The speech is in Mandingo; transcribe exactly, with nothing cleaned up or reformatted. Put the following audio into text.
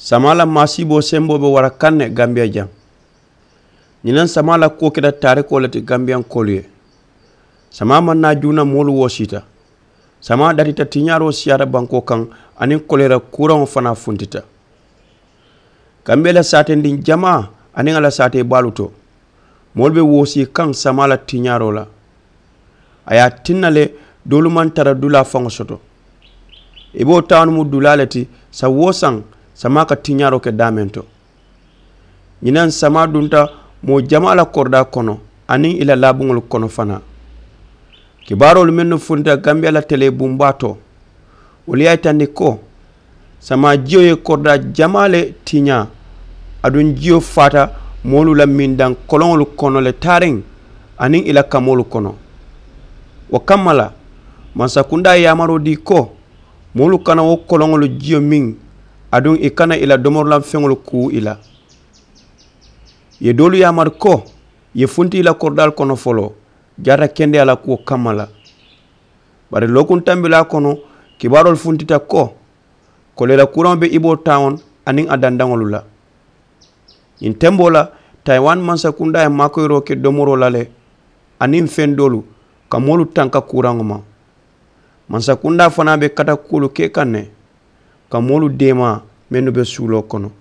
Samaa la maasiiboo semboo be wara kaŋ ne gambiya jaŋ. Ñiŋ naŋ samaa la kuwo keta taarikoo le ti gambiyankoolu ye. Samaa maŋ naa juuna moolu woosiita. Samaa datita tiñaaroo siyaata bankoo kaŋ, aniŋ koleera kuuraŋo fanaa funtita. Gambiya la saatendiŋ jamaa aniŋ a la saatee baalu to, moolu be woosii kaŋ samaa la tiñaaroo la. A ye a tinna le, doolu maŋ tara dulaa faŋo soto. I be wo taawono mu dulaa le ti. Saŋ woo saŋ, samaa ka tiñaaroo ke daameŋ to. Ñiŋ naŋ samaa dunta moo jamaa la koridaa kono, aniŋ i la laabuŋolu kono fanaa. Kibaaroolu mennu funtita gambiya la telee bumbaa to, wolu ye a yitandi ko samaa jiyo ye koridaa jamaa le tiñaa. Aduŋ jiyo faata moolu la mindaŋ koloŋolu kono le taariŋ, aniŋ i la kamoolu kono. Wo kamma la, mansakundaa ye yaamaroo dii ko moolu kana wo koloŋolu jiyo miŋ, aduŋ i kana i la domorulaŋ feŋolu kuu i la. Ye doolu yaamari ko ye funti i la koridaalu kono foloo, jaata kendeyaa la kuwo kamma la. Bari lookuŋ tambilaa kono, kibaaroolu funtita ko koleera kuuraŋo be i boo taawoŋ aniŋ a dandaŋolu la. Ñiŋ temboo la, tayiwani mansakundaa ye maakoyiroo ke domoroo la le, aniŋ feŋ doolu ka moolu tanka kuuraŋo ma. Mansakundaa fanaa be kata kuwolu ke kaŋ ne, ka moolu deemaa mennu be suuloo kono.